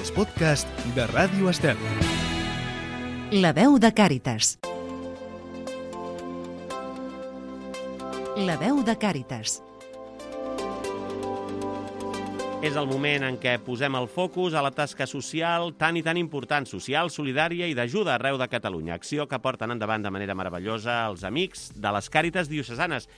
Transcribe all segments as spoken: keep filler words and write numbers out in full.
els podcasts de Ràdio Estel. La veu de Càritas. La veu de Càritas. És el moment en què posem el focus a la tasca social tan i tan important, social, solidària i d'ajuda arreu de Catalunya. Acció que porten endavant de manera meravellosa els amics de les Càritas diocesanes.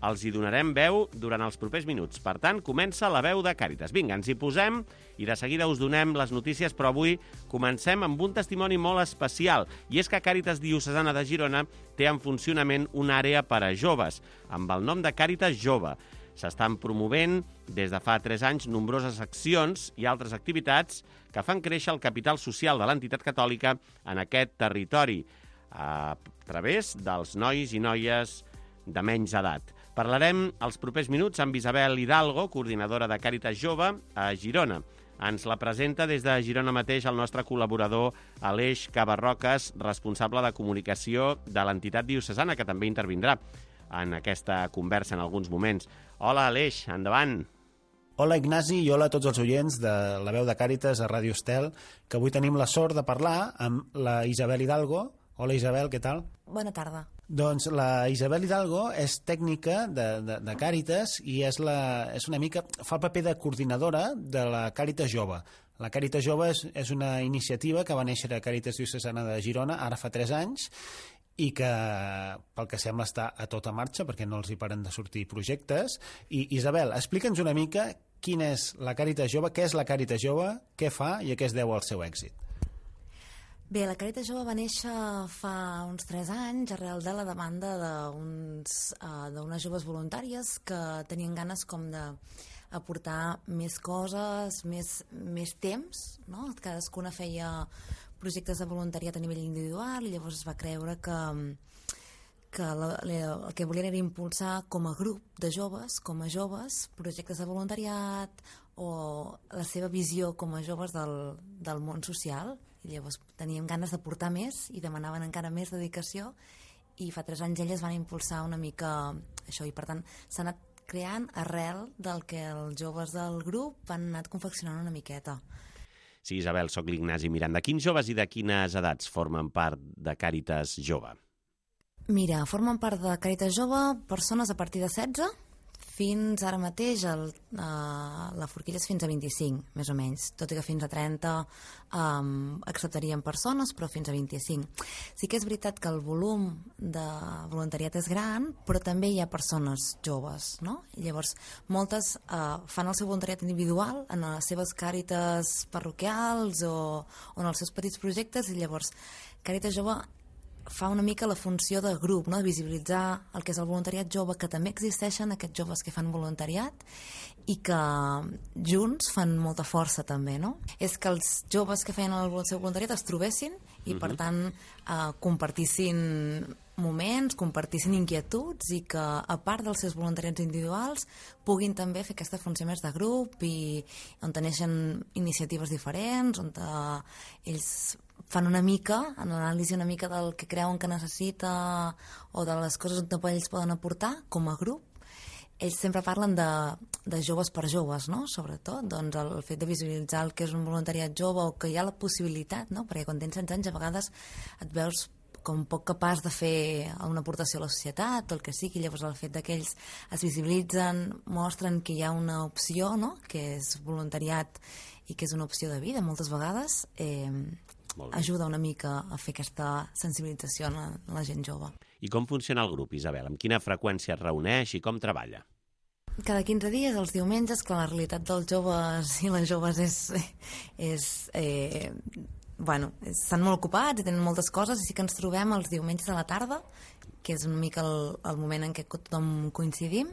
Els hi donarem veu durant els propers minuts. Per tant, comença la veu de Càritas. Vinga, ens hi posem i de seguida us donem les notícies, però avui comencem amb un testimoni molt especial. I és que Càritas Diocesana de Girona té en funcionament una àrea per a joves, amb el nom de Càritas Jove. S'estan promovent des de fa tres anys nombroses accions i altres activitats que fan créixer el capital social de l'entitat catòlica en aquest territori, a través dels nois i noies de menys edat. Parlarem els propers minuts amb Isabel Hidalgo, coordinadora de Càritas Jove a Girona. Ens la presenta des de Girona mateix el nostre col·laborador Aleix Cabarroques, responsable de comunicació de l'entitat diocesana, que també intervindrà en aquesta conversa en alguns moments. Hola, Aleix, endavant. Hola, Ignasi, i hola a tots els oients de la veu de Càritas a Ràdio Estel, que avui tenim la sort de parlar amb la Isabel Hidalgo. Hola, Isabel, què tal? Bona tarda. Doncs la Isabel Hidalgo és tècnica de, de, de Càritas i és, la, és una mica, fa el paper de coordinadora de la Càritas Jove. La Càritas Jove és, és una iniciativa que va néixer a Càritas Diocesana de Girona ara fa tres anys, i que, pel que sembla, està a tota marxa, perquè no els hi paren de sortir projectes. I, Isabel, explica'ns una mica quina és la Càritas Jove, què és la Càritas Jove, què fa i a què es deu el seu èxit. Bé, la Càritas Jove va néixer fa uns tres anys arrel de la demanda d'uns, uh, d'unes joves voluntàries que tenien ganes com de aportar més coses, més, més temps, no? Cadascuna feia projectes de voluntariat a nivell individual i llavors es va creure que, que la, la, el que volien era impulsar com a grup de joves, com a joves, projectes de voluntariat o la seva visió com a joves del, del món social. I llavors teníem ganes de portar més i demanaven encara més dedicació i fa tres anys elles van impulsar una mica això i per tant s'ha anat creant arrel del que els joves del grup han anat confeccionant una miqueta. Sí, Isabel, soc l'Ignasi Miranda. Quins joves i de quines edats formen part de Càritas Jove? Mira, formen part de Càritas Jove persones a partir de setze fins ara mateix el, uh, la forquilla és fins a vint-i-cinc, més o menys, tot i que fins a trenta um, acceptarien persones, però fins a vint-i-cinc. Sí que és veritat que el volum de voluntariat és gran, però també hi ha persones joves, no? I llavors, moltes uh, fan el seu voluntariat individual en les seves càritas parroquials o, o en els seus petits projectes, i llavors Càritas Jove fa una mica la funció de grup, no? De visibilitzar el que és el voluntariat jove, que també existeixen aquests joves que fan voluntariat i que junts fan molta força també, no? És que els joves que feien el seu voluntariat es trobessin i, per tant, eh, compartissin moments, compartissin inquietuds i que, a part dels seus voluntariats individuals, puguin també fer aquesta funció més de grup i on neixen iniciatives diferents, on ells fan una mica, en l'anàlisi una mica del que creuen que necessita o de les coses on ells poden aportar com a grup. Ells sempre parlen de, de joves per joves, no? Sobretot, doncs el fet de visibilitzar el que és un voluntariat jove o que hi ha la possibilitat, no? Perquè quan tens setze anys a vegades et veus com poc capaç de fer una aportació a la societat o el que sigui, llavors el fet que ells es visibilitzen, mostren que hi ha una opció, no? Que és voluntariat i que és una opció de vida moltes vegades, eh, ajuda una mica a fer aquesta sensibilització a la, a la gent jove. I com funciona el grup, Isabel? Amb quina freqüència es reuneix i com treballa? Cada quinze dies, els diumenges, que la realitat dels joves i les joves és... és eh, bueno, estan molt ocupats i tenen moltes coses, i sí que ens trobem els diumenges a la tarda, que és una mica el, el moment en què tothom coincidim.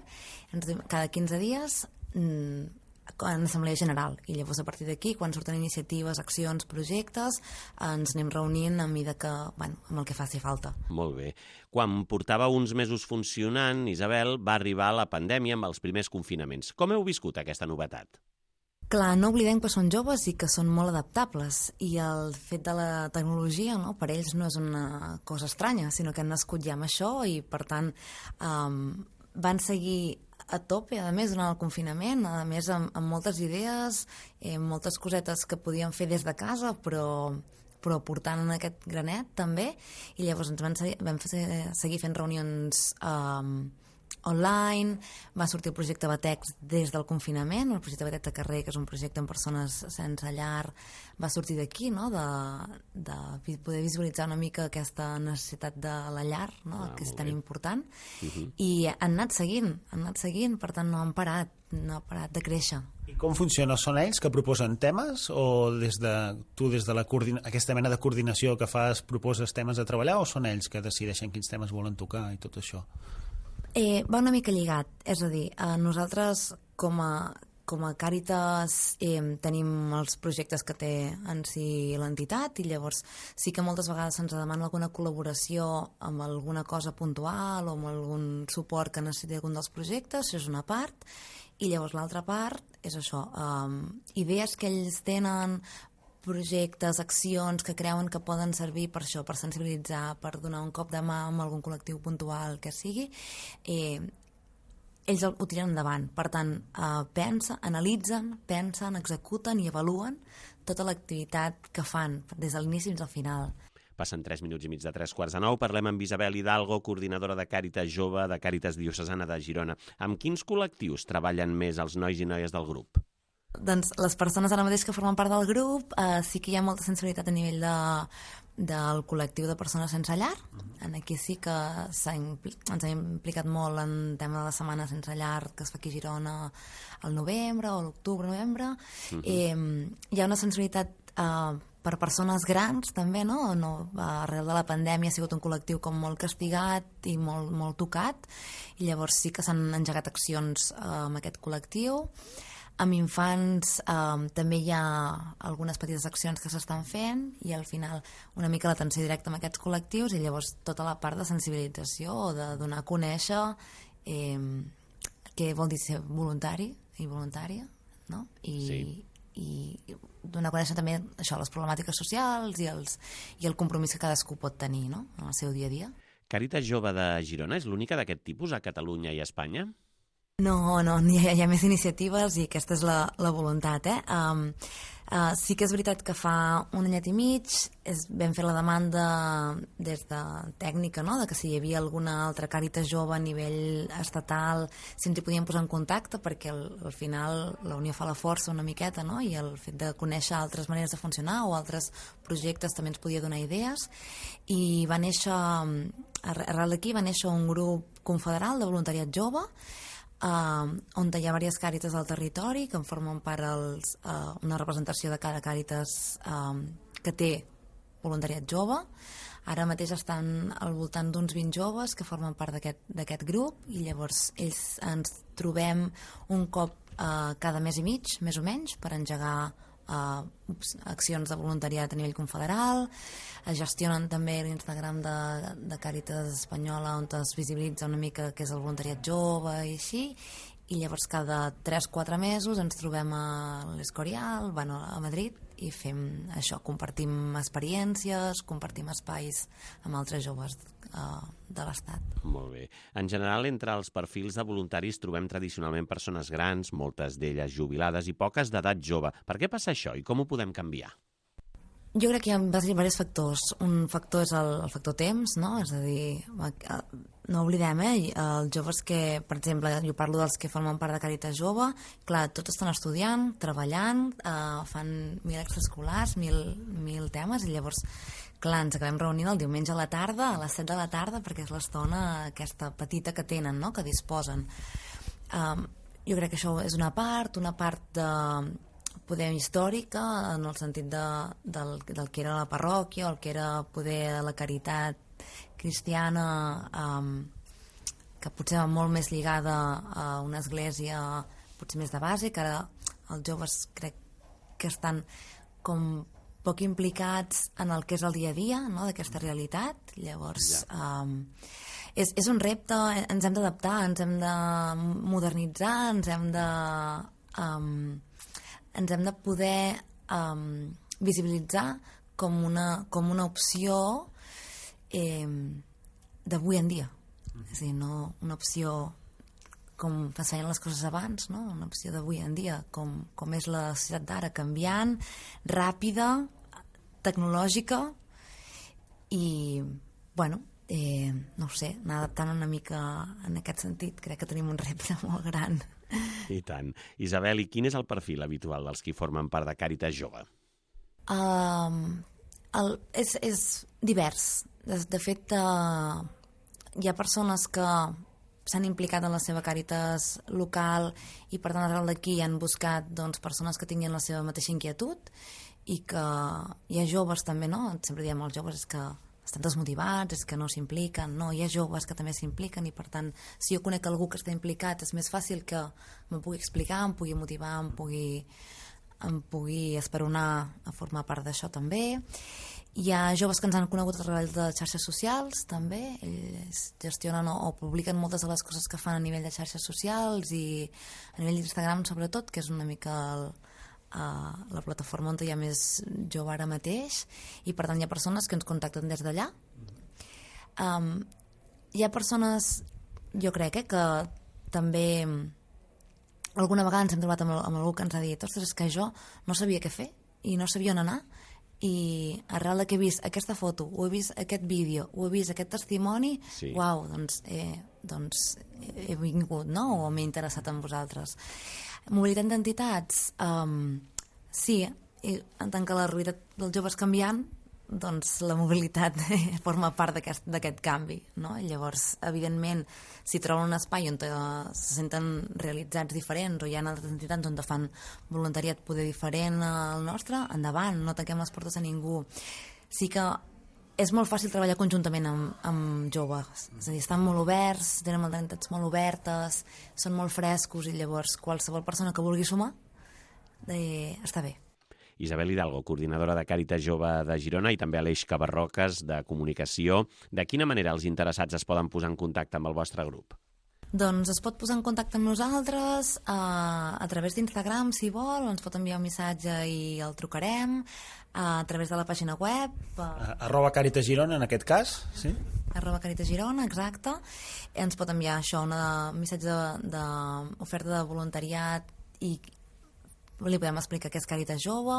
Cada quinze dies en assemblea general, i llavors a partir d'aquí, quan surten iniciatives, accions, projectes, ens anem reunint a mida que, bueno, amb el que faci falta. Molt bé. Quan portava uns mesos funcionant, Isabel, va arribar la pandèmia amb els primers confinaments. Com heu viscut aquesta novetat? Clar, no oblidem que són joves i que són molt adaptables, i el fet de la tecnologia, no, per ells no és una cosa estranya, sinó que han nascut ja amb això i, per tant, um, van seguir a tope, a més, durant el confinament, a més, amb, amb moltes idees, eh, moltes cosetes que podíem fer des de casa, però, però portant en aquest granet, també, i llavors ens vam, seguir, vam seguir fent reunions eh, online, va sortir el projecte Batex des del confinament, el projecte Batex de carrer, que és un projecte amb persones sense llar, va sortir d'aquí, no? de, de poder visualitzar una mica aquesta necessitat de la llar, no? ah, que és tan bé. important, uh-huh. i han anat seguint, han anat seguint, per tant no han parat, no han parat de créixer. I com funciona? Són ells que proposen temes o des de, tu des de la coordina, aquesta mena de coordinació que fas proposes temes a treballar, o són ells que decideixen quins temes volen tocar i tot això? Eh, va una mica lligat, és a dir, eh, nosaltres com a, com a Càritas eh, tenim els projectes que té en si l'entitat, i llavors sí que moltes vegades se'ns demana alguna col·laboració amb alguna cosa puntual o amb algun suport que necessiti algun dels projectes, això és una part, i llavors l'altra part és això, eh, idees que ells tenen, projectes, accions que creuen que poden servir per això, per sensibilitzar, per donar un cop de mà amb algun col·lectiu puntual que sigui, eh, ells ho tiren endavant. Per tant, eh, pensa, analitzen, pensen, executen i avaluen tota l'activitat que fan, des de l'inici fins al final. Passen tres minuts i mig de tres quarts de nou. Parlem amb Isabel Hidalgo, coordinadora de Càritas Jove de Càritas Diocesana de Girona. Amb quins col·lectius treballen més els nois i noies del grup? Doncs les persones ara mateix que formen part del grup eh, sí que hi ha molta sensibilitat a nivell de, del col·lectiu de persones sense llar. Aquí sí que impl... ens hem implicat molt en tema de la setmana sense llar que es fa aquí a Girona al novembre o l'octubre, novembre. Uh-huh. eh, hi ha una sensibilitat eh, per persones grans també, no? no? Arrel de la pandèmia ha sigut un col·lectiu com molt castigat i molt, molt tocat, i llavors sí que s'han engegat accions eh, amb aquest col·lectiu. Amb infants eh, també hi ha algunes petites accions que s'estan fent, i al final una mica l'atenció directa amb aquests col·lectius, i llavors tota la part de sensibilització o de donar a conèixer eh, què vol dir ser voluntari i voluntària, no? I, sí. i donar a conèixer també això, les problemàtiques socials i, els, i el compromís que cadascú pot tenir, no? En el seu dia a dia. Càritas Jove de Girona és l'única d'aquest tipus a Catalunya i a Espanya? No, no, hi ha, hi ha més iniciatives i aquesta és la, la voluntat, eh? Um, uh, sí que és veritat que fa un anyet i mig és, vam fer la demanda des de tècnica, no?, de que si hi havia alguna altra Càritas Jove a nivell estatal, si ens hi podíem posar en contacte, perquè al, al final la unió fa la força una miqueta, no?, i el fet de conèixer altres maneres de funcionar o altres projectes també ens podia donar idees, i va néixer, arrel d'aquí va néixer un grup confederal de voluntariat jove, Uh, on hi ha diverses càritas al territori que en formen part els, uh, una representació de cada càritas um, que té voluntariat jove. Ara mateix estan al voltant d'uns vint joves que formen part d'aquest grup, i llavors ells ens trobem un cop uh, cada mes i mig, més o menys, per engegar Uh, accions de voluntariat a nivell confederal. Es gestionen també l'Instagram de, de Càritas Espanyola, on es visibilitza una mica què és el voluntariat jove i així, i llavors cada tres quatre mesos ens trobem a l'Escorial, bueno, a Madrid, i fem això, compartim experiències, compartim espais amb altres joves uh, de l'Estat. Molt bé. En general, entre els perfils de voluntaris trobem tradicionalment persones grans, moltes d'elles jubilades i poques d'edat jove. Per què passa això i com ho podem canviar? Jo crec que hi ha diversos factors. Un factor és el, el factor temps, no? És a dir, no oblidem, eh? Els joves que, per exemple, jo parlo dels que formen part de Càritas Jove, clar, tots estan estudiant, treballant, eh, fan mil extraescolars, mil, mil temes, i llavors, clar, ens acabem reunint el diumenge a la tarda, a les set de la tarda, perquè és l'estona aquesta petita que tenen, no?, que disposen. Um, jo crec que això és una part, una part de poder històrica, en el sentit de, del, del que era la parròquia, o el que era poder la caritat cristiana, um, que potser va molt més lligada a una església potser més de base, que ara els joves crec que estan com poc implicats en el que és el dia a dia, no?, d'aquesta realitat. Llavors, ja. um, és, és un repte, ens hem d'adaptar, ens hem de modernitzar, ens hem de... Um, ens hem de poder um, visibilitzar com una, com una opció eh, d'avui en dia. Mm-hmm. És a dir, no una opció com es feien les coses abans, no? Una opció d'avui en dia, com, com és la societat d'ara, canviant, ràpida, tecnològica i, bueno, eh, no ho sé, anar adaptant una mica en aquest sentit. Crec que tenim un repte molt gran. I tant. Isabel, i quin és el perfil habitual dels qui formen part de Càritas Jove? Uh, el, és, és divers. De, de fet, uh, hi ha persones que s'han implicat en la seva Càritas local i per tant arrel d'aquí han buscat doncs, persones que tinguin la seva mateixa inquietud i que hi ha joves també, no? Sempre diem als joves és que estan desmotivats, és que no s'impliquen, no, hi ha joves que també s'impliquen i per tant si jo conec algú que està implicat és més fàcil que m'ho pugui explicar, em pugui motivar, em pugui, em pugui esperonar a formar part d'això també. Hi ha joves que ens han conegut a través de xarxes socials, també. Ells gestionen o, o publiquen moltes de les coses que fan a nivell de xarxes socials i a nivell d'Instagram, sobretot, que és una mica el, uh, la plataforma on hi ha més jove ara mateix. I, per tant, hi ha persones que ens contacten des d'allà. Um, hi ha persones, jo crec, eh, que també alguna vegada ens hem trobat amb, amb algú que ens ha dit ostres, és que jo no sabia què fer i no sabia on anar. I arrel que he vist aquesta foto, o he vist aquest vídeo, o he vist aquest testimoni, sí. Uau, doncs, eh, doncs he vingut, no? O m'he interessat en vosaltres. Mobilitat d'entitats, um, sí, i en tant que la realitat dels joves canviant, doncs la mobilitat forma part d'aquest canvi, no? Llavors, evidentment, si troben un espai on se senten realitzats diferents o hi ha altres entitats on fan voluntariat poder diferent al nostre, endavant, no tanquem les portes a ningú. Sí que és molt fàcil treballar conjuntament amb, amb joves, és a dir, estan molt oberts, tenen mentalitats molt obertes, són molt frescos i llavors qualsevol persona que vulgui sumar eh, està bé. Isabel Hidalgo, coordinadora de Càritas Jove de Girona i també Aleix Cabarroques, de Comunicació. De quina manera els interessats es poden posar en contacte amb el vostre grup? Doncs es pot posar en contacte amb nosaltres a, a través d'Instagram, si vol, o ens pot enviar un missatge i el trucarem, a través de la pàgina web. A... Arroba Càritas Girona, en aquest cas, sí? Arroba Càritas Girona, exacte. Ens pot enviar això, un missatge d'oferta de, de voluntariat i li podem explicar què és Càritas Jove,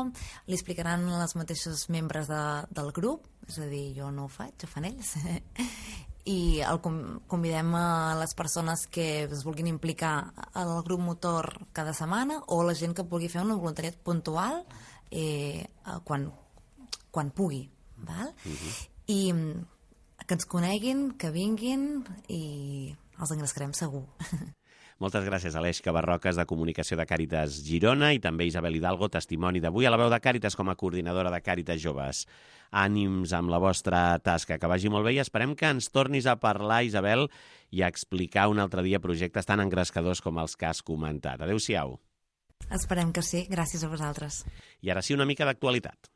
li explicaran els mateixos membres de, del grup, és a dir, jo no ho faig, ho fan ells, i el convidem a les persones que es vulguin implicar al grup motor cada setmana o la gent que vulgui fer un voluntariat puntual eh, quan, quan pugui, val? Uh-huh. I que ens coneguin, que vinguin i els engrescarem segur. Moltes gràcies, Aleix Cabarroques, de Comunicació de Càritas Girona, i també Isabel Hidalgo, testimoni d'avui a la veu de Càritas com a coordinadora de Càritas Joves. Ànims amb la vostra tasca, que vagi molt bé i esperem que ens tornis a parlar, Isabel, i a explicar un altre dia projectes tan engrescadors com els que has comentat. Adéu-siau. Esperem que sí, gràcies a vosaltres. I ara sí, una mica d'actualitat.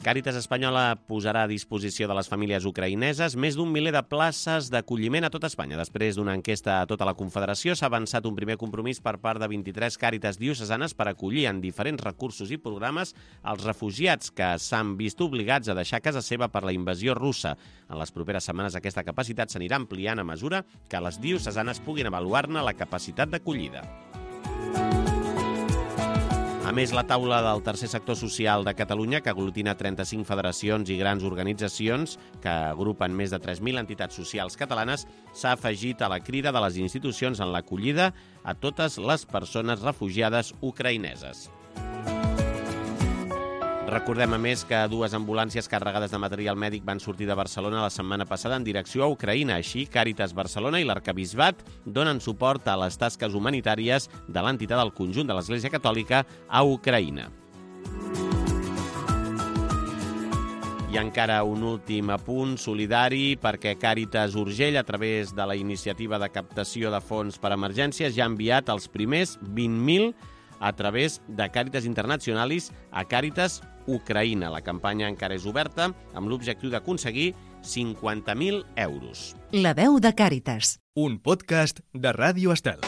Càritas Espanyola posarà a disposició de les famílies ucraïneses més d'un miler de places d'acolliment a tot Espanya. Després d'una enquesta a tota la Confederació, s'ha avançat un primer compromís per part de vint-i-tres càritas diocesanes per acollir en diferents recursos i programes els refugiats que s'han vist obligats a deixar casa seva per la invasió russa. En les properes setmanes aquesta capacitat s'anirà ampliant a mesura que les diocesanes puguin avaluar-ne la capacitat d'acollida. A més, la taula del tercer sector social de Catalunya, que aglutina trenta-cinc federacions i grans organitzacions que agrupen més de tres mil entitats socials catalanes, s'ha afegit a la crida de les institucions en l'acollida a totes les persones refugiades ucraïneses. Recordem, a més, que dues ambulàncies carregades de material mèdic van sortir de Barcelona la setmana passada en direcció a Ucraïna. Així, Càritas Barcelona i l'Arquebisbat donen suport a les tasques humanitàries de l'entitat del conjunt de l'Església Catòlica a Ucraïna. I encara un últim apunt solidari, perquè Càritas Urgell, a través de la iniciativa de captació de fons per emergències, ja ha enviat els primers vint mil a través de Càritas Internationalis a Càritas Ucraïna. La campanya encara és oberta amb l'objectiu d'aconseguir cinquanta mil euros. La veu de Càritas. Un podcast de Ràdio Estel.